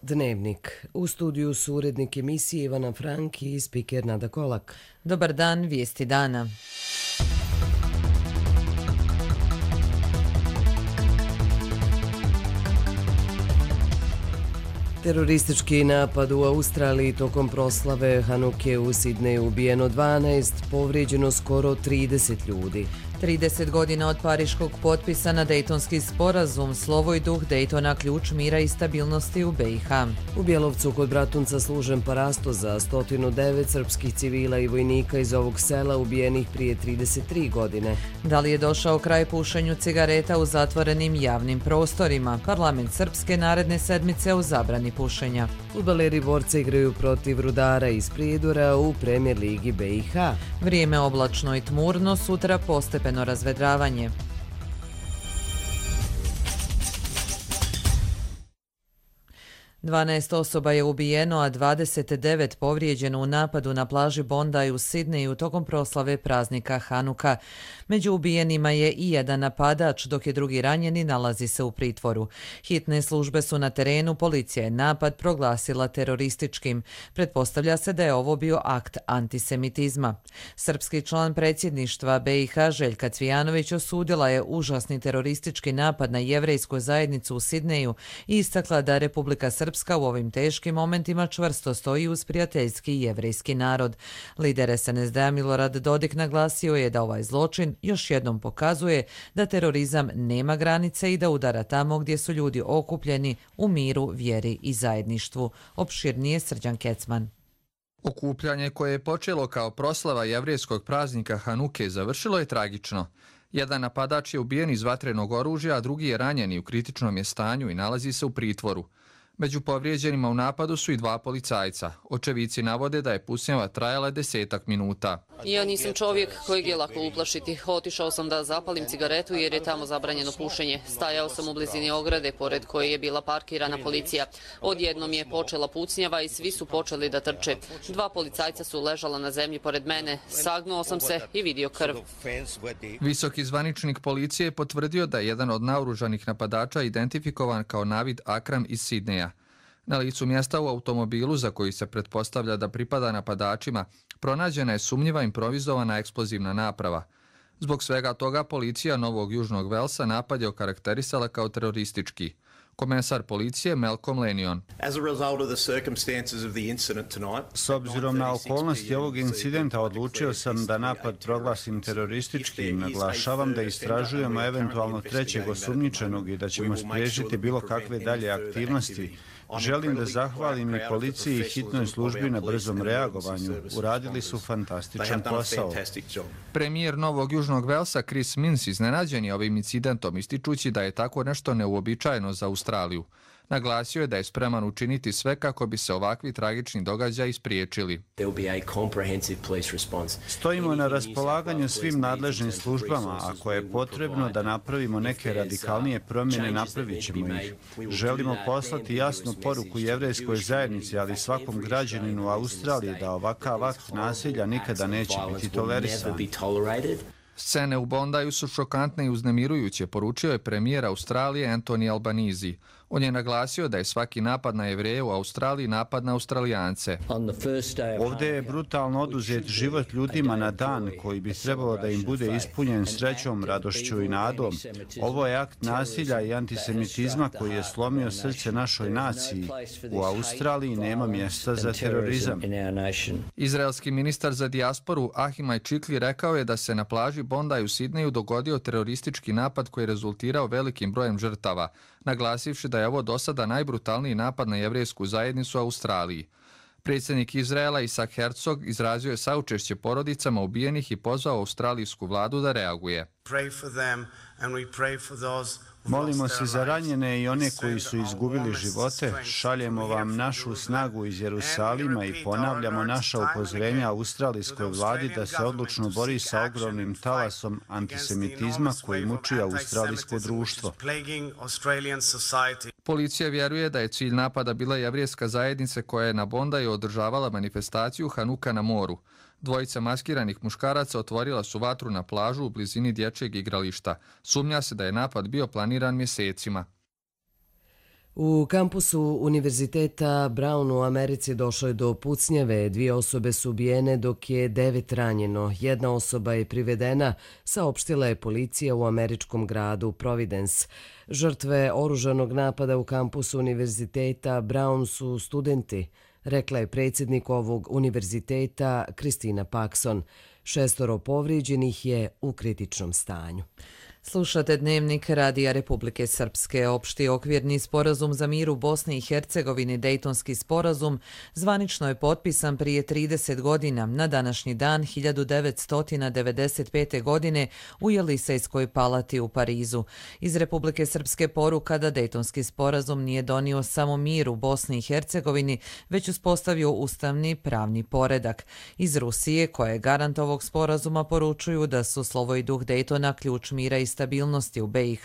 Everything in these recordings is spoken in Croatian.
Dnevnik. U studiju su urednik emisije Ivana Frank i spiker Nada Kolak. Dobar dan, vijesti dana. Teroristički napad u Australiji tokom proslave Hanuke u Sidneju, ubijeno 12, povrijeđeno skoro 30 ljudi. 30 godina od pariškog potpisa na Dejtonski sporazum, slovo i duh Dejtona ključ mira i stabilnosti u BiH. U Bjelovcu kod Bratunca služen parasto za 109 srpskih civila i vojnika iz ovog sela ubijenih prije 33 godine. Da li je došao kraj pušenju cigareta u zatvorenim javnim prostorima? Parlament Srpske naredne sedmice o zabrani pušenja. Fudbaleri Borca igraju protiv Rudara iz Prijedora u Premijer ligi BiH. Vrijeme oblačno i tmurno, sutra postepeno razvedravanje. Dvanaest osoba je ubijeno, a 29 povrijeđeno u napadu na plaži Bondi u Sidneju tokom proslave praznika Hanuka. Među ubijenima je i jedan napadač, dok je drugi ranjen i nalazi se u pritvoru. Hitne službe su na terenu, policija je napad proglasila terorističkim. Pretpostavlja se da je ovo bio akt antisemitizma. Srpski član predsjedništva BiH Željka Cvijanović osudila je užasni teroristički napad na jevrejsku zajednicu u Sidneju i istakla da Republika Srpska u ovim teškim momentima čvrsto stoji uz prijateljski jevrejski narod. Lider SNSD-a Milorad Dodik naglasio je da ovaj zločin još jednom pokazuje da terorizam nema granice i da udara tamo gdje su ljudi okupljeni u miru, vjeri i zajedništvu. Opširnije Srđan Kecman. Okupljanje koje je počelo kao proslava jevrejskog praznika Hanuke završilo je tragično. Jedan napadač je ubijen iz vatrenog oružja, a drugi je ranjen i u kritičnom je stanju i nalazi se u pritvoru. Među povrijeđenima u napadu su i dva policajca. Očevici navode da je pucnjava trajala 10 minuta. Ja nisam čovjek kojeg je lako uplašiti. Otišao sam da zapalim cigaretu jer je tamo zabranjeno pušenje. Stajao sam u blizini ograde pored koje je bila parkirana policija. Odjednom je počela pucnjava i svi su počeli da trče. Dva policajca su ležala na zemlji pored mene. Sagnuo sam se i vidio krv. Visoki zvaničnik policije je potvrdio da je jedan od naoružanih napadača identifikovan kao Navid Akram iz Sidneja. Na licu mjesta u automobilu, za koji se pretpostavlja da pripada napadačima, pronađena je sumnjiva improvizovana eksplozivna naprava. Zbog svega toga policija Novog Južnog Velsa napad je okarakterisala kao teroristički. Komesar policije Malcolm Lenion. S obzirom na okolnosti ovog incidenta odlučio sam da napad proglasim terorističkim. Naglašavam da istražujemo eventualno trećeg osumnjičenog i da ćemo spriječiti bilo kakve dalje aktivnosti. Želim da zahvalim i policiji i hitnoj službi na brzom reagovanju. Uradili su fantastičan posao. Premijer Novog Južnog Velsa Chris Minns iznenađen je ovim incidentom, ističući da je tako nešto neuobičajeno za Australiju. Naglasio je da je spreman učiniti sve kako bi se ovakvi tragični događaji spriječili. Stojimo na raspolaganju svim nadležnim službama. Ako je potrebno da napravimo neke radikalnije promjene, napravit ćemo ih. Želimo poslati jasnu poruku jevrejskoj zajednici, ali svakom građaninu Australije da ovakav akt nasilja nikada neće biti tolerisan. Scene u Bondiju su šokantne i uznemirujuće, poručio je premijer Australije Anthony Albanese. On je naglasio da je svaki napad na Jevreje u Australiji napad na Australijance. Ovdje je brutalno oduzet život ljudima na dan koji bi trebalo da im bude ispunjen srećom, radošću i nadom. Ovo je akt nasilja i antisemitizma koji je slomio srce našoj naciji. U Australiji nema mjesta za terorizam. Izraelski ministar za dijasporu Ahimaj Čikli rekao je da se na plaži Bondi u Sidneju dogodio teroristički napad koji je rezultirao velikim brojem žrtava, naglasivši da je ovo do sada najbrutalniji napad na jevrejsku zajednicu u Australiji. Predsjednik Izraela Isaac Herzog izrazio je saučešće porodicama ubijenih i pozvao australijsku vladu da reaguje. Molimo se za ranjene i one koji su izgubili živote. Šaljemo vam našu snagu iz Jerusalima i ponavljamo naša upozorenja australijskoj vladi da se odlučno bori sa ogromnim talasom antisemitizma koji muči australijsko društvo. Policija vjeruje da je cilj napada bila jevrijska zajednica koja je na Bondiju održavala manifestaciju Hanuka na moru. Dvojica maskiranih muškaraca otvorila su vatru na plažu u blizini dječjeg igrališta. Sumnja se da je napad bio planiran mjesecima. U kampusu Univerziteta Brown u Americi došlo je do pucnjave. 2 osobe su ubijene dok je 9 ranjeno. 1 osoba je privedena, saopštila je policija u američkom gradu Providence. Žrtve oružanog napada u kampusu Univerziteta Brown su studenti, rekla je predsjednik ovog univerziteta Kristina Paxson. 6 povrijeđenih je u kritičnom stanju. Slušate Dnevnik Radija Republike Srpske. Opšti okvirni sporazum za mir u Bosni i Hercegovini, Dejtonski sporazum, zvanično je potpisan prije 30 godina, na današnji dan 1995. godine u Jelisejskoj palati u Parizu. Iz Republike Srpske poruka da Dejtonski sporazum nije donio samo mir u Bosni i Hercegovini, već uspostavio ustavni pravni poredak. Iz Rusije, koja je garant ovog sporazuma, poručuju da su slovo i duh Dejtona ključ mira i stabilnosti u BiH.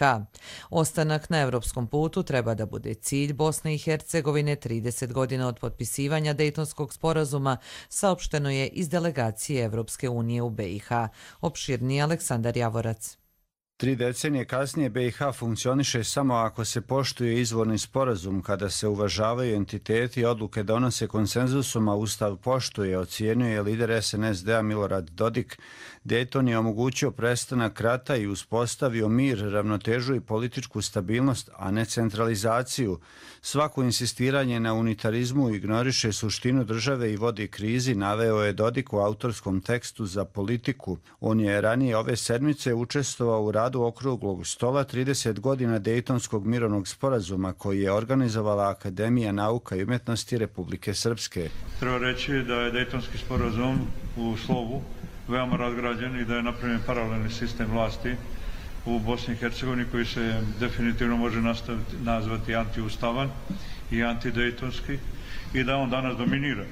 Ostanak na evropskom putu treba da bude cilj Bosne i Hercegovine 30 godina od potpisivanja Dejtonskog sporazuma, saopšteno je iz delegacije Evropske unije u BiH. Opširni Aleksandar Javorac. 3 decenije kasnije BiH funkcioniše samo ako se poštuje izvorni sporazum, kada se uvažavaju entiteti i odluke donose konsenzusom, a Ustav poštuje, ocijenjuje lider SNSD-a Milorad Dodik. Dejton je omogućio prestanak rata i uspostavio mir, ravnotežu i političku stabilnost, a ne centralizaciju. Svako insistiranje na unitarizmu ignoriše suštinu države i vodi krizi, naveo je Dodik u autorskom tekstu za Politiku. On je ranije ove sedmice učestvovao u radu okruglog stola 30 godina Dejtonskog mirovnog sporazuma koji je organizovala Akademija nauka i umjetnosti Republike Srpske. Treba reći da je Dejtonski sporazum u slovu veoma razgrađen i da je napravljen paralelni sistem vlasti u Bosni i Hercegovini koji se definitivno može nazvati antiustavan i antidejtonski i da on danas dominira.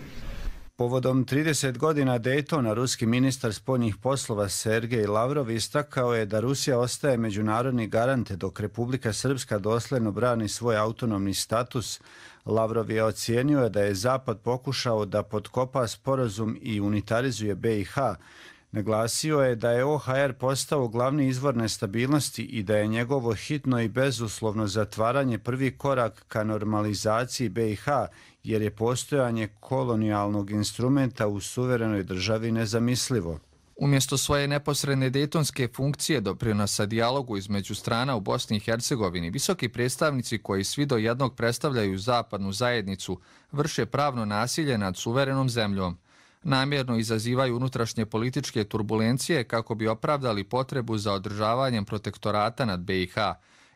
Povodom 30 godina Dejtona, ruski ministar spoljnih poslova Sergej Lavrov istakao je da Rusija ostaje međunarodni garant dok Republika Srpska dosledno brani svoj autonomni status. Lavrov je ocijenio da je Zapad pokušao da potkopa sporazum i unitarizuje BiH. Naglasio je da je OHR postao glavni izvor nestabilnosti i da je njegovo hitno i bezuslovno zatvaranje prvi korak ka normalizaciji BiH, jer je postojanje kolonijalnog instrumenta u suverenoj državi nezamislivo. Umjesto svoje neposredne dejtonske funkcije doprinosa dijalogu između strana u Bosni i Hercegovini, visoki predstavnici koji svi do jednog predstavljaju zapadnu zajednicu vrše pravno nasilje nad suverenom zemljom. Namjerno izazivaju unutrašnje političke turbulencije kako bi opravdali potrebu za održavanjem protektorata nad BiH.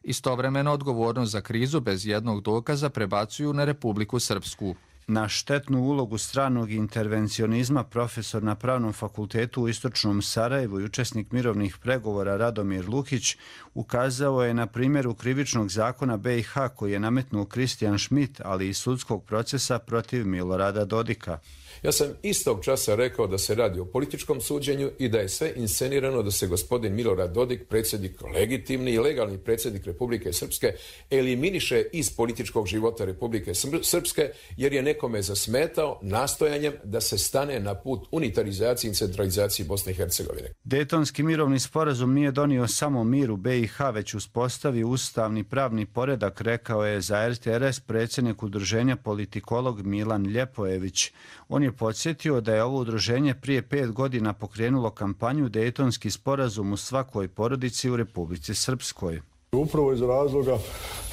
Istovremeno odgovornost za krizu bez jednog dokaza prebacuju na Republiku Srpsku. Na štetnu ulogu stranog intervencionizma profesor na Pravnom fakultetu u Istočnom Sarajevu i učesnik mirovnih pregovora Radomir Lukić ukazao je na primjeru krivičnog zakona BiH koji je nametnuo Kristijan Schmidt, ali i sudskog procesa protiv Milorada Dodika. Ja sam istog časa rekao da se radi o političkom suđenju i da je sve inscenirano da se gospodin Milorad Dodik, predsjednik, legitimni i legalni predsjednik Republike Srpske, eliminiše iz političkog života Republike Srpske jer je nekome zasmetao nastojanjem da se stane na put unitarizaciji i centralizaciji Bosne i Hercegovine. Dejtonski mirovni sporazum nije donio samo mir u BiH, već uspostavio ustavni pravni poredak, rekao je za RTRS predsjednik udruženja politikolog Milan Ljepojević. On je podsjetio da je ovo udruženje prije 5 godina pokrenulo kampanju Dejtonski sporazum u svakoj porodici u Republici Srpskoj. Upravo iz razloga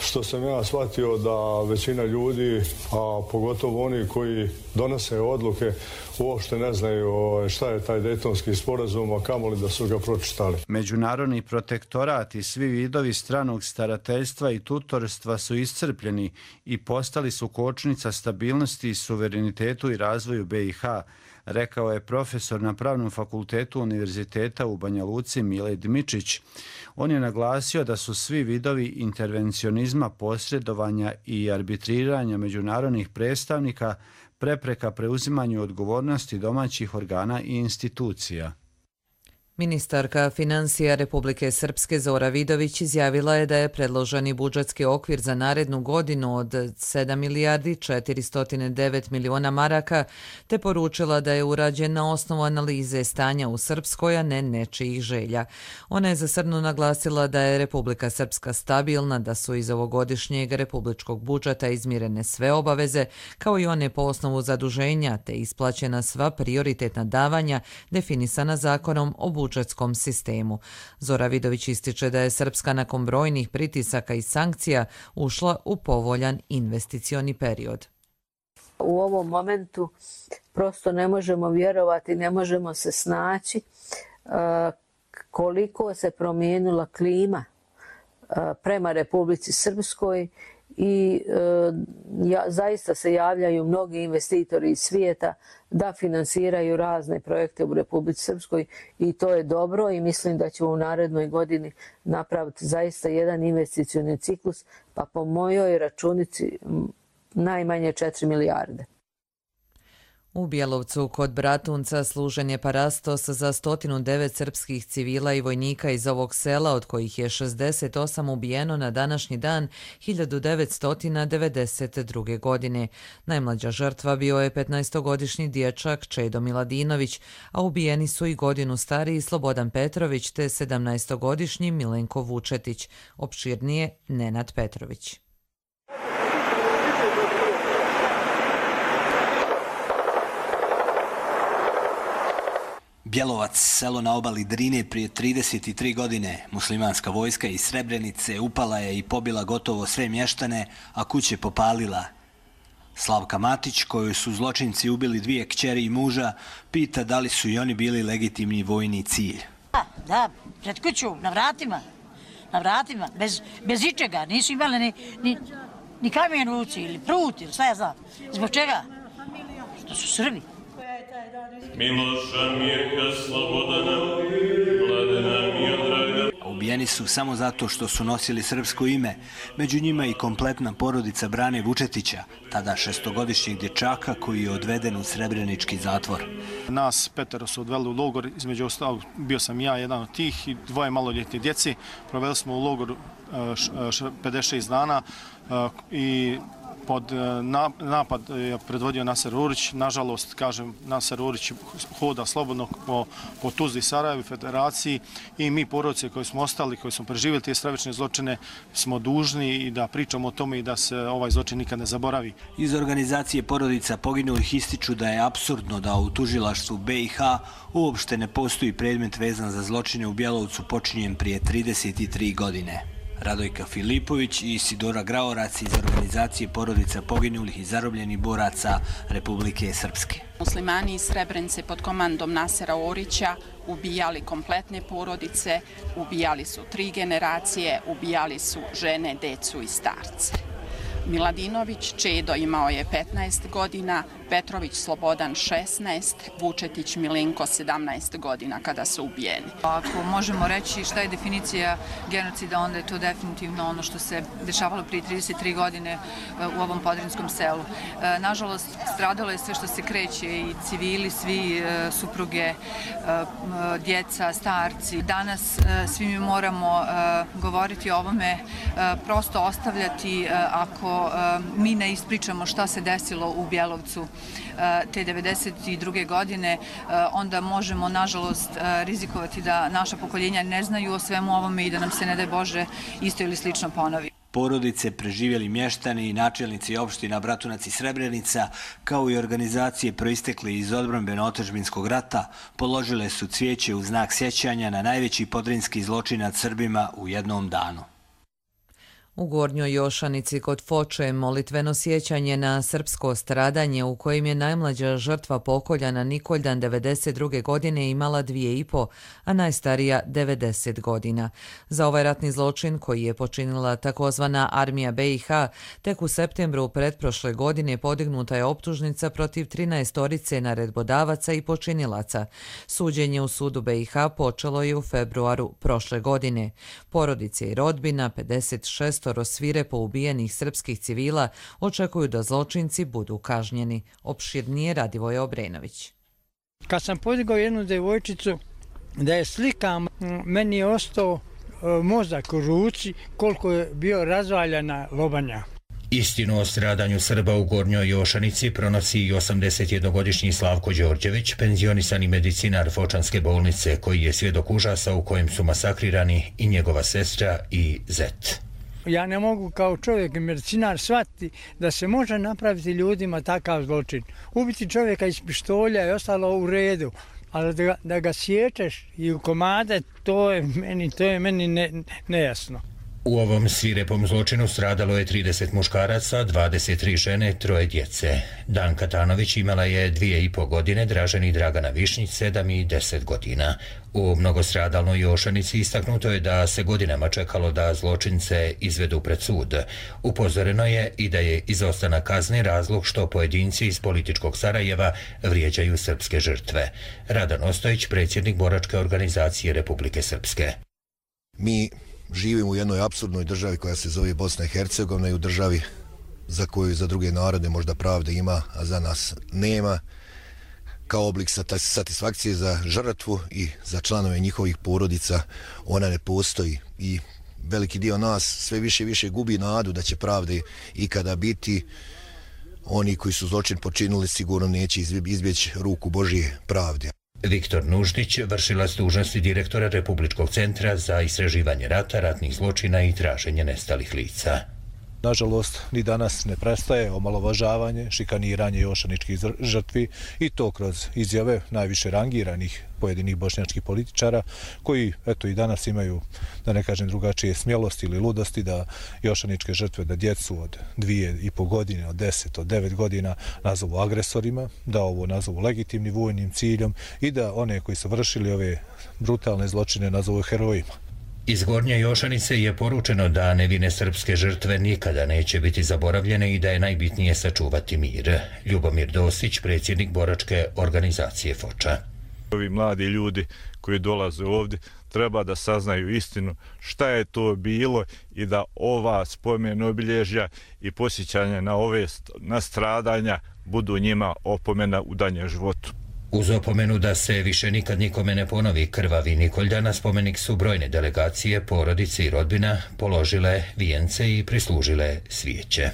što sam ja shvatio da većina ljudi, a pogotovo oni koji donose odluke, uopšte ne znaju šta je taj Dejtonski sporazum, a kamoli da su ga pročitali. Međunarodni protektorat i svi vidovi stranog starateljstva i tutorstva su iscrpljeni i postali su kočnica stabilnosti, suverenitetu i razvoju BiH, rekao je profesor na Pravnom fakultetu Univerziteta u Banja Luci Mile Dmičić. On je naglasio da su svi vidovi intervencionizma, posredovanja i arbitriranja međunarodnih predstavnika prepreka preuzimanju odgovornosti domaćih organa i institucija. Ministarka financija Republike Srpske Zora Vidović izjavila je da je predloženi budžetski okvir za narednu godinu od 7 milijardi 409 miliona maraka, te poručila da je urađen na osnovu analize stanja u Srpskoj, a ne nečijih želja. Ona je za Srnu naglasila da je Republika Srpska stabilna, da su iz ovogodišnjeg republičkog budžeta izmirene sve obaveze, kao i one po osnovu zaduženja, te isplaćena sva prioritetna davanja definisana zakonom o budžetskom sistemu. Zora Vidović ističe da je Srpska nakon brojnih pritisaka i sankcija ušla u povoljan investicioni period. U ovom momentu prosto ne možemo vjerovati, ne možemo se snaći koliko se promijenila klima prema Republici Srpskoj i zaista se javljaju mnogi investitori iz svijeta da finansiraju razne projekte u Republici Srpskoj i to je dobro i mislim da ćemo u narednoj godini napraviti zaista jedan investicioni ciklus, pa po mojoj računici najmanje 4 milijarde. U Bjelovcu kod Bratunca služen je parastos za 109 srpskih civila i vojnika iz ovog sela, od kojih je 68 ubijeno na današnji dan 1992. godine. Najmlađa žrtva bio je 15-godišnji dječak Čedo Miladinović, a ubijeni su i godinu stariji Slobodan Petrović te 17-godišnji Milenko Vučetić. Opširnije Nenad Petrović. Bjelovac, selo na obali Drine, prije 33 godine. Muslimanska vojska iz Srebrenice upala je i pobila gotovo sve mještane, a kuće popalila. Slavka Matić, koju su zločinci ubili 2 kćeri i muža, pita da li su i oni bili legitimni vojni cilj. Da, pred kuću, na vratima, bez ičega. Nisu imali ni kamen u ruci ili prut ili šta ja znam. Zbog čega? Što su Srbi. Miloša, Mirka, Slobodana, Mladena, Miodraga. Ubijeni su samo zato što su nosili srpsko ime, među njima i kompletna porodica Brane Vučetića, tada 6-godišnjeg dječaka koji je odveden u Srebrenički zatvor. Nas 5 su odveli u logor, između ostalog bio sam ja jedan od tih i 2 maloljetne djeci. Proveli smo u logoru 56 dana i pod napad je predvodio Naser Urić. Nažalost, kažem, Naser Urić hoda slobodno po Tuzli, Sarajevu, Federaciji i mi porodice koji smo ostali, koji smo preživjeli te stravične zločine, smo dužni i da pričamo o tome i da se ovaj zločin nikad ne zaboravi. Iz organizacije porodica poginulih ističu da je apsurdno da u tužilaštvu BiH uopšte ne postoji predmet vezan za zločine u Bjelovcu počinjen prije 33 godine. Radojka Filipović i Isidora Graorac iz organizacije porodica poginulih i zarobljenih boraca Republike Srpske. Muslimani iz Srebrenice pod komandom Nasera Orića ubijali kompletne porodice, ubijali su 3 generacije, ubijali su žene, decu i starce. Miladinović Čedo imao je 15 godina, Petrović Slobodan 16, Vučetić Milenko 17 godina kada su ubijeni. Ako možemo reći šta je definicija genocida, onda je to definitivno ono što se dešavalo prije 33 godine u ovom podrinskom selu. Nažalost, stradalo je sve što se kreće, i civili, svi supruge, djeca, starci. Danas svi mi moramo govoriti o ovome, prosto ostavljati ako mi ne ispričamo šta se desilo u Bjelovcu te 92. godine, onda možemo, nažalost, rizikovati da naša pokoljenja ne znaju o svemu ovome i da nam se, ne daj Bože, isto ili slično ponovi. Porodice, preživjeli mještani i načelnici opština Bratunac i Srebrenica, kao i organizacije proistekle iz odbrambeno-otadžbinskog rata, položile su cvijeće u znak sjećanja na najveći podrinski zločin nad Srbima u jednom danu. U Gornjoj Jošanici kod Foče molitveno sjećanje na srpsko stradanje u kojem je najmlađa žrtva pokoljana Nikoljdan 92. godine imala 2,5, a najstarija 90 godina. Za ovaj ratni zločin koji je počinila takozvana armija BiH, tek u septembru pretprošle godine podignuta je optužnica protiv 13 naredbodavaca i počinilaca. Suđenje u sudu BiH počelo je u februaru prošle godine. Porodice i rodbina 56 svirepo ubijenih srpskih civila očekuju da zločinci budu kažnjeni. Opširnije Radivoje Obrenović. Kad sam podigao jednu devojčicu Da je slikam, meni je ostao mozak u ruci koliko je bio razvaljena lobanja. Istinu o stradanju Srba u Gornjoj Jošanici pronosi i 81-godišnji Slavko Đorđević, penzionisani medicinar Fočanske bolnice, koji je svjedok užasa u kojem su masakrirani i njegova sestra i zet. Ja ne mogu kao čovjek i medicinar shvatiti da se može napraviti ljudima takav zločin. Ubiti čovjeka iz pištolja je ostalo u redu, ali da ga sječeš i u komade, to je meni nejasno. U ovom svirepom zločinu stradalo je 30 muškaraca, 23 žene, 3 djece. Danka Tanović imala je 2,5 godine, Dražen i Dragana Višnjić 7 i 10 godina. U mnogostradalnoj Jošanici istaknuto je da se godinama čekalo da zločince izvedu pred sud. Upozoreno je i da je izostanak kazne razlog što pojedinci iz političkog Sarajeva vrijeđaju srpske žrtve. Radan Ostojić, predsjednik boračke organizacije Republike Srpske. Mi živimo u jednoj apsurdnoj državi koja se zove Bosna i Hercegovina i u državi za koju za druge narode možda pravde ima, a za nas nema. Kao oblik satisfakcije za žrtvu i za članove njihovih porodica ona ne postoji i veliki dio nas sve više i više gubi nadu da će pravde ikada biti. Oni koji su zločin počinili sigurno neće izbjeći ruku Božje pravde. Viktor Nuždić, vršilac dužnosti direktora Republičkog centra za istraživanje rata, ratnih zločina i traženje nestalih lica. Nažalost, ni danas ne prestaje omalovažavanje, šikaniranje jošaničkih žrtvi i to kroz izjave najviše rangiranih pojedinih bošnjačkih političara koji eto i danas imaju, da ne kažem drugačije, smjelosti ili ludosti da jošaničke žrtve, da djecu od 2,5 godine, od 10, od 9 godina nazovu agresorima, da ovo nazovu legitimnim vojnim ciljom i da one koji su vršili ove brutalne zločine nazovu herojima. Iz Gornje Jošanice je poručeno da nevine srpske žrtve nikada neće biti zaboravljene i da je najbitnije sačuvati mir. Ljubomir Dosić, predsjednik boračke organizacije Foča. Ovi mladi ljudi koji dolaze ovdje treba da saznaju istinu šta je to bilo i da ova spomen obilježja i posjećanje na stradanja budu njima opomena u danjem životu. Uz opomenu da se više nikad nikome ne ponovi krvavi Nikolj, na spomenik su brojne delegacije, porodice i rodbina položile vijence i prislužile svijeće.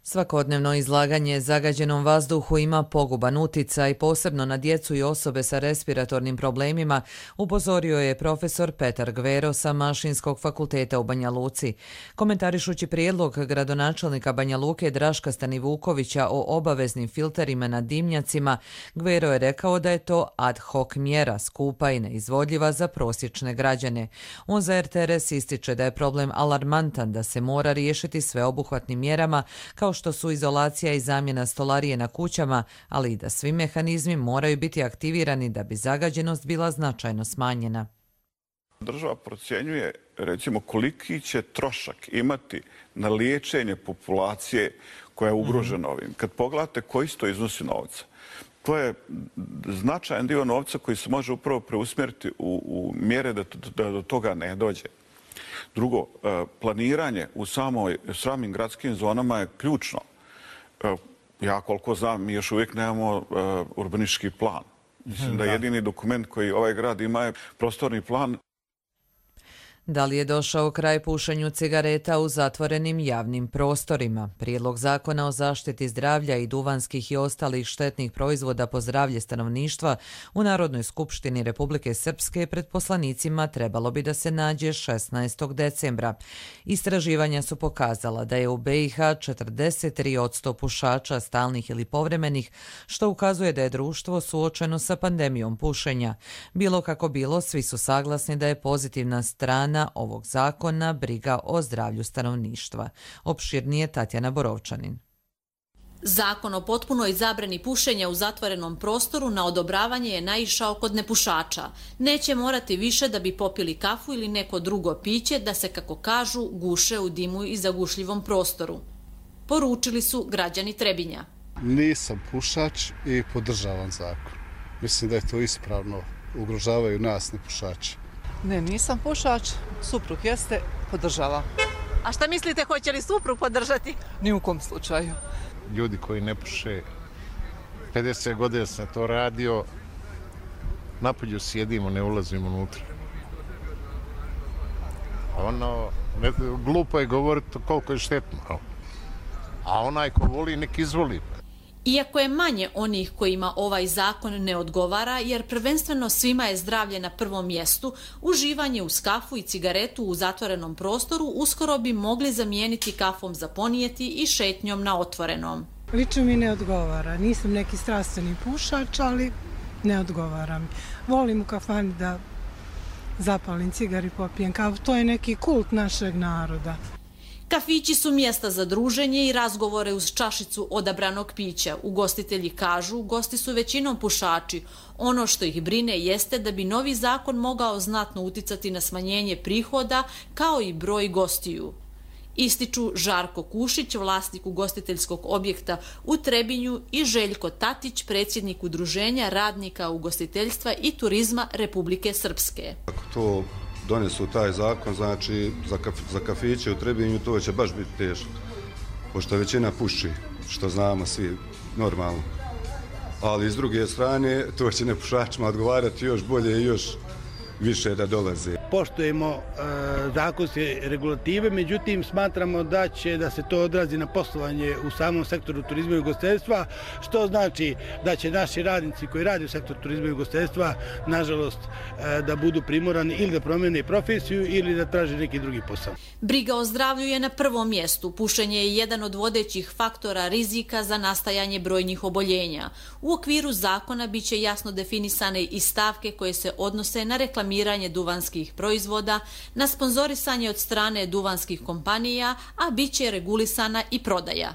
Svakodnevno izlaganje zagađenom vazduhu ima poguban uticaj, posebno na djecu i osobe sa respiratornim problemima, upozorio je profesor Petar Gvero sa Mašinskog fakulteta u Banja Luci. Komentarišući prijedlog gradonačelnika Banja Luke Draška Stanivukovića o obaveznim filterima na dimnjacima, Gvero je rekao da je to ad hoc mjera, skupa i neizvodljiva za prosječne građane. On za RTS ističe da je problem alarmantan, da se mora riješiti sveobuhvatnim mjerama kao što su izolacija i zamjena stolarije na kućama, ali i da svi mehanizmi moraju biti aktivirani da bi zagađenost bila značajno smanjena. Država procjenjuje recimo koliki će trošak imati na liječenje populacije koja je ugrožena ovim. Kad pogledate koji to iznosi novca, to je značajan dio novca koji se može upravo preusmjeriti u mjere da do toga ne dođe. Drugo, planiranje u samim gradskim zonama je ključno. Ja koliko znam, mi još uvijek nemamo urbanistički plan. Mislim da jedini dokument koji ovaj grad ima je prostorni plan. Da li je došao kraj pušenju cigareta u zatvorenim javnim prostorima? Prijedlog zakona o zaštiti zdravlja i duvanskih i ostalih štetnih proizvoda po zdravlje stanovništva u Narodnoj skupštini Republike Srpske pred poslanicima trebalo bi da se nađe 16. decembra. Istraživanja su pokazala da je u BiH 43% pušača stalnih ili povremenih, što ukazuje da je društvo suočeno sa pandemijom pušenja. Bilo kako bilo, svi su saglasni da je pozitivna strana ovog zakona briga o zdravlju stanovništva. Opširnije Tatjana Borovčanin. Zakon o potpunoj zabrani pušenja u zatvorenom prostoru na odobravanje je naišao kod nepušača. Neće morati više da bi popili kafu ili neko drugo piće da se, kako kažu, guše u dimu i zagušljivom prostoru. Poručili su građani Trebinja. Nisam pušač i podržavam zakon. Mislim da je to ispravno. Ugrožavaju nas nepušači. Ne, nisam pušač, suprug jeste, podržava. A šta mislite, hoće li suprug podržati? Ni u kom slučaju. Ljudi koji ne puše 50 godina sam to radio, napolju sjedimo, ne ulazimo unutra. Glupo je govoriti koliko je štetno, a onaj ko voli, nek izvoli. Iako je manje onih kojima ovaj zakon ne odgovara, jer prvenstveno svima je zdravlje na prvom mjestu, uživanje uz kafu i cigaretu u zatvorenom prostoru uskoro bi mogli zamijeniti kafom za ponijeti i šetnjom na otvorenom. Lično mi ne odgovara. Nisam neki strastveni pušač, ali ne odgovara mi. Volim u kafani da zapalim cigar i popijem kafu. To je neki kult našeg naroda. Kafići su mjesta za druženje i razgovore uz čašicu odabranog pića. Ugostitelji kažu, gosti su većinom pušači. Ono što ih brine jeste da bi novi zakon mogao znatno uticati na smanjenje prihoda kao i broj gostiju. Ističu Žarko Kušić, vlasnik ugostiteljskog objekta u Trebinju, i Željko Tatić, predsjednik Udruženja radnika ugostiteljstva i turizma Republike Srpske. Ako to donesu taj zakon, znači za kafiće u Trebinju to će baš biti teško, pošto većina puši, što znamo svi normalno. Ali s druge strane, to će nepušačima odgovarati još bolje i još više da dolaze. Poštujemo zakonske regulative, međutim smatramo da će da se to odrazi na poslovanje u samom sektoru turizma i ugostiteljstva, što znači da će naši radnici koji rade u sektoru turizma i ugostiteljstva, nažalost, da budu primorani ili da promijene profesiju ili da traže neki drugi posao. Briga o zdravlju je na prvom mjestu. Pušenje je jedan od vodećih faktora rizika za nastajanje brojnih oboljenja. U okviru zakona biće jasno definisane i stavke koje se odnose na reklamiranje duvanskih proizvoda, na sponzorisanje od strane duvanskih kompanija, a bit će regulisana i prodaja.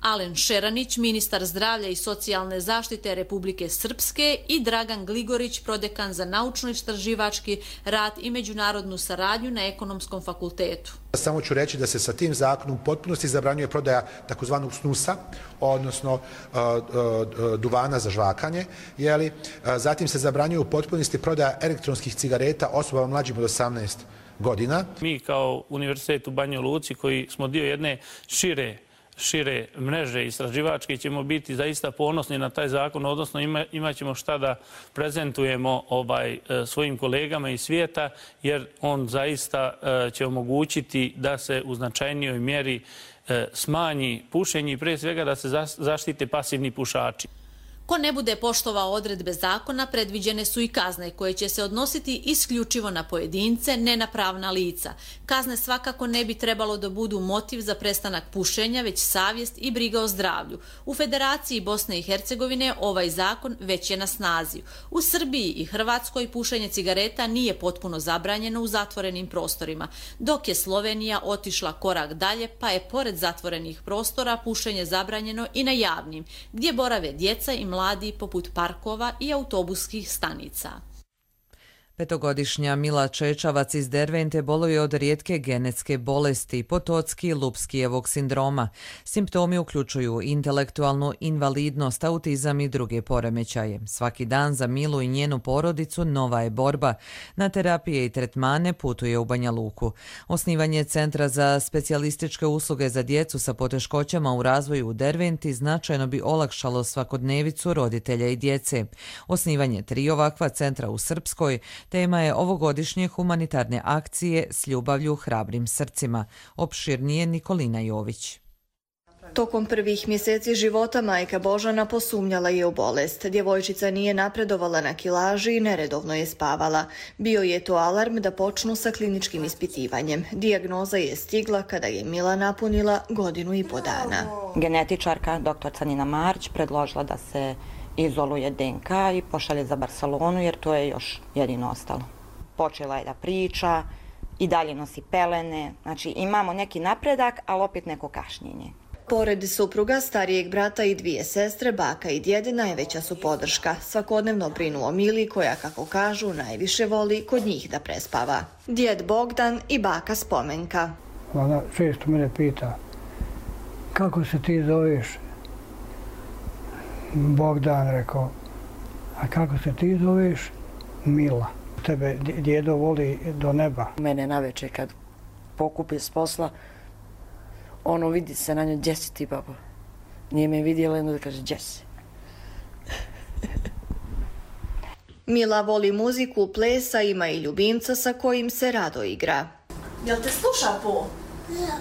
Alen Šeranić, ministar zdravlja i socijalne zaštite Republike Srpske, i Dragan Gligorić, prodekan za naučno-istraživački rad i međunarodnu saradnju na Ekonomskom fakultetu. Samo ću reći da se sa tim zakonom u potpunosti zabranjuje prodaja takozvanog snusa, odnosno duvana za žvakanje. Zatim se zabranjuje u potpunosti prodaja elektronskih cigareta osobama mlađim od 18 godina. Mi kao Univerzitet u Banjoj Luci, koji smo dio jedne šire mreže istraživačke, ćemo biti zaista ponosni na taj zakon, odnosno imat ćemo šta da prezentujemo svojim kolegama iz svijeta, jer on zaista će omogućiti da se u značajnijoj mjeri smanji pušenje i prije svega da se zaštite pasivni pušači. Ko ne bude poštovao odredbe zakona, predviđene su i kazne koje će se odnositi isključivo na pojedince, ne na pravna lica. Kazne svakako ne bi trebalo da budu motiv za prestanak pušenja, već savjest i briga o zdravlju. U Federaciji Bosne i Hercegovine ovaj zakon već je na snazi. U Srbiji i Hrvatskoj pušenje cigareta nije potpuno zabranjeno u zatvorenim prostorima, dok je Slovenija otišla korak dalje, pa je pored zatvorenih prostora pušenje zabranjeno i na javnim, gdje borave djeca i mladi poput parkova i autobuskih stanica. 5-godišnja Mila Čečavac iz Dervente boluje od rijetke genetske bolesti, Potocki-Lupskijevog sindroma. Simptomi uključuju intelektualnu invalidnost, autizam i druge poremećaje. Svaki dan za Milu i njenu porodicu nova je borba. Na terapije i tretmane putuje u Banja Luku. Osnivanje Centra za specijalističke usluge za djecu sa poteškoćama u razvoju u Derventi značajno bi olakšalo svakodnevicu roditelja i djece. Osnivanje 3 ovakva centra u Srpskoj tema je ovogodišnje humanitarne akcije S ljubavlju hrabrim srcima. Opširnije Nikolina Jović. Tokom prvih mjeseci života majka Božana posumnjala je u bolest. Djevojčica nije napredovala na kilaži i neredovno je spavala. Bio je to alarm da počnu sa kliničkim ispitivanjem. Dijagnoza je stigla kada je Mila napunila 1,5 godina. Genetičarka dr. Nina Marić predložila da se izoluje DNK i pošalje za Barcelonu, jer to je još jedino ostalo. Počela je da priča, i dalje nosi pelene, znači imamo neki napredak, ali opet neko kašnjenje. Pored supruga, starijeg brata i 2 sestre, baka i djede najveća su podrška. Svakodnevno brinu o Mili, koja, kako kažu, najviše voli kod njih da prespava. Djed Bogdan i baka Spomenka. Ona često mene pita, kako se ti zoveš? Bogdan, rekao, a kako se ti zoveš? Mila. Tebe djedo voli do neba. Mene naveče kad pokupi s posla, vidi se na njoj, gdje si ti, babo? Nije me vidjela, jedno da kaže, gdje si? Mila voli muziku, plesa, ima i ljubimca sa kojim se rado igra. Jel te sluša Po? Da.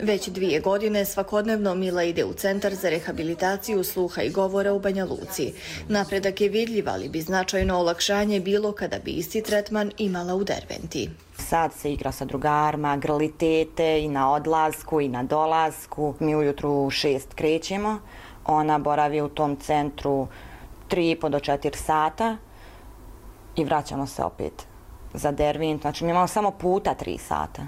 Već 2 godine svakodnevno Mila ide u Centar za rehabilitaciju sluha i govora u Banja Luci. Napredak je vidljiv, ali bi značajno olakšanje bilo kada bi isti tretman imala u Derventi. Sad se igra sa drugarima, grli tete i na odlasku i na dolasku. Mi ujutru u 6 krećemo. Ona boravi u tom centru 3,5 do 4 sata i vraćamo se opet za Dervent. Znači mi imamo samo puta 3 sata.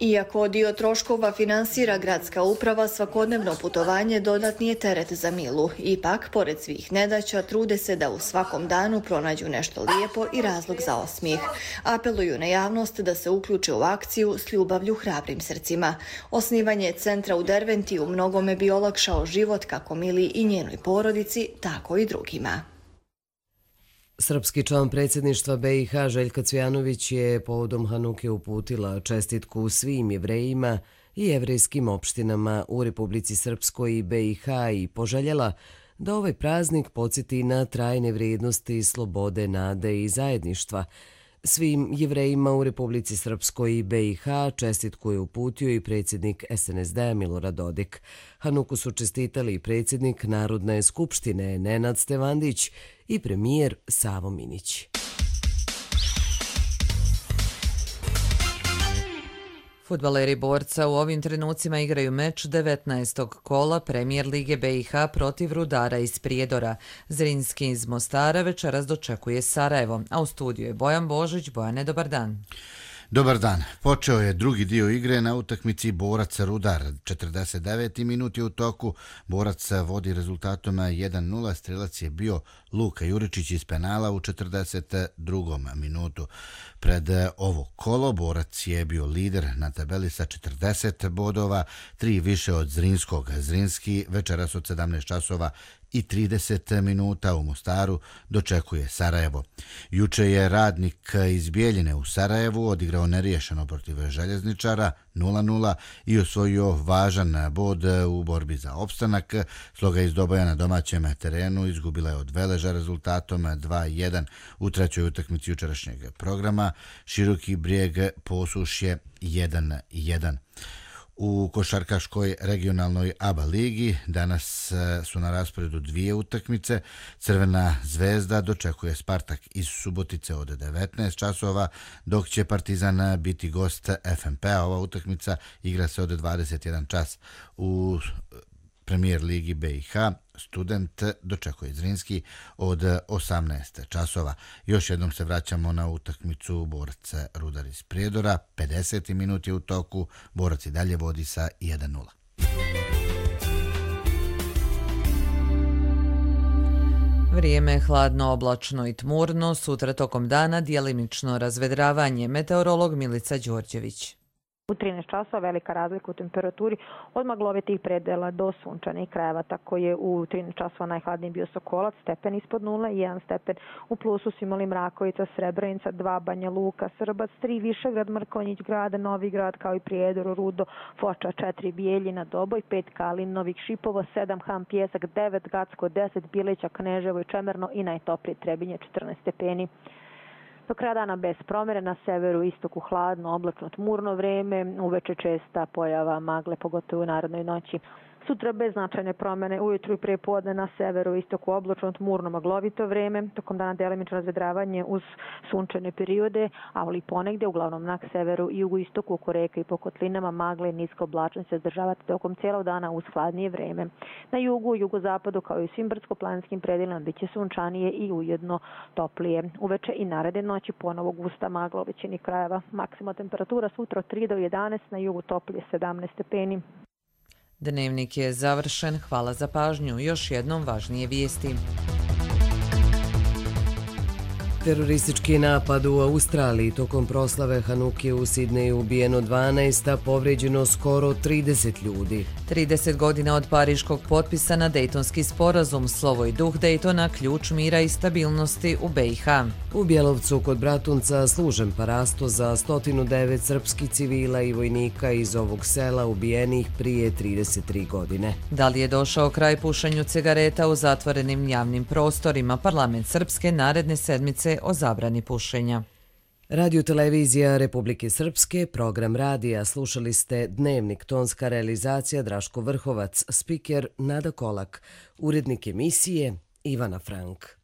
Iako dio troškova finansira gradska uprava, svakodnevno putovanje dodatni je teret za Milu. Ipak, pored svih nedaća, trude se da u svakom danu pronađu nešto lijepo i razlog za osmijeh. Apeluju na javnost da se uključe u akciju s ljubavlju hrabrim srcima. Osnivanje centra u Derventi u mnogome bi olakšao život kako Mili i njenoj porodici, tako i drugima. Srpski član predsjedništva BiH Željka Cvijanović je povodom Hanuke uputila čestitku svim Jevrejima i jevrejskim opštinama u Republici Srpskoj i BiH i poželjela da ovaj praznik podsjeti na trajne vrijednosti slobode, nade i zajedništva. Svim Jevrejima u Republici Srpskoj i BiH čestitku je uputio i predsjednik SNSD-a Milorad Dodik. Hanuku su čestitali i predsjednik Narodne skupštine Nenad Stevandić i premijer Savo Minić. Fudbaleri Borca u ovim trenucima igraju meč 19. kola Premijer Lige BiH protiv Rudara iz Prijedora. Zrinski iz Mostara večeras dočekuje Sarajevo, a u studiju je Bojan Božić. Bojane, dobar dan. Dobar dan. Počeo je drugi dio igre na utakmici Borac-Rudar. 49. minut je u toku. Borac vodi rezultatom 1-0. Strelac je bio Luka Juričić iz penala u 42. minutu. Pred ovo kolo Borac je bio lider na tabeli sa 40 bodova, 3 više od Zrinskog. Zrinski večeras od 17 časova i 30 minuta u Mostaru dočekuje Sarajevo. Juče je Radnik iz Bijeljine u Sarajevu odigrao neriješeno protiv Željezničara 0-0 i osvojio važan bod u borbi za opstanak. Sloga iz Doboja na domaćem terenu izgubila je od Veleža rezultatom 2-1 u trećoj utakmici jučerašnjeg programa. Široki Brijeg Posušje 1-1. U košarkaškoj regionalnoj ABA ligi danas su na rasporedu 2 utakmice. Crvena zvezda dočekuje Spartak iz Subotice od 19 časova, dok će Partizan biti gost FNP-a. Ova utakmica igra se od 21 čas. U Premijer Ligi BiH Student dočekuje Zrinski od 18 časova. Još jednom se vraćamo na utakmicu Borac Rudar iz Prijedora. 50. minut je u toku. Borac i dalje vodi sa 1-0. Vrijeme je hladno, oblačno i tmurno. Sutra tokom dana djelimično razvedravanje. Meteorolog Milica Đorđević. U 13 časova velika razlika u temperaturi od maglovitih predela do sunčanih krajeva. Tako je u 13 časova najhladniji bio Sokolac, stepen ispod 0, 1 stepen u plusu su imali Mrakovica, Srebrenica, 2 Banja Luka, Srbac, 3 Višegrad, Mrkonjić grad, Novi Grad kao i Prijedor, Rudo, Foča, 4 Bijeljina, Doboj, 5 Kalin, Novih Šipovo, 7 Ham Pjesak, 9 Gacko, 10 Bileća, Kneževo i Čemerno i najtoplije Trebinje 14 stepeni. Do kraja dana bez promjere, na severu i istoku hladno, oblačno tmurno vreme, uveče česta pojava magle, pogotovo u narodnoj noći. Sutra bez značajne promjene, ujutru i prije podne na severu i istoku oblačno tmurno maglovito vreme, tokom dana delimično razvedravanje uz sunčane periode, ali ponegdje uglavnom na severu i jugoistoku oko reka i po kotlinama magle i niska oblačnost se zadržavati tokom cijelog dana uz hladnije vreme. Na jugu, jugozapadu kao i svim brdsko-planinskim predjelima bit će sunčanije i ujedno toplije. Uveče i naredne noći ponovo gusta magla u većini krajeva. Maksimalna temperatura sutra od 3 do 11, na jugu toplije 17 stepeni. Dnevnik je završen. Hvala za pažnju. Još jednom važnije vijesti. Teroristički napad u Australiji tokom proslave Hanuke u Sidneju ubijeno 12, a povrijeđeno skoro 30 ljudi. 30 godina od pariškog potpisa na Dejtonski sporazum, slovo i duh Dejtona, ključ mira i stabilnosti u BiH. U Bjelovcu kod Bratunca služen parasto za 109 srpskih civila i vojnika iz ovog sela ubijenih prije 33 godine. Da li je došao kraj pušenju cigareta u zatvorenim javnim prostorima? Parlament Srpske naredne sedmice o zabrani pušenja. Radio-televizija Republike Srpske, program radija, slušali ste Dnevnik, tonska realizacija Draško Vrhovac, spiker Nada Kolak, urednik emisije Ivana Frank.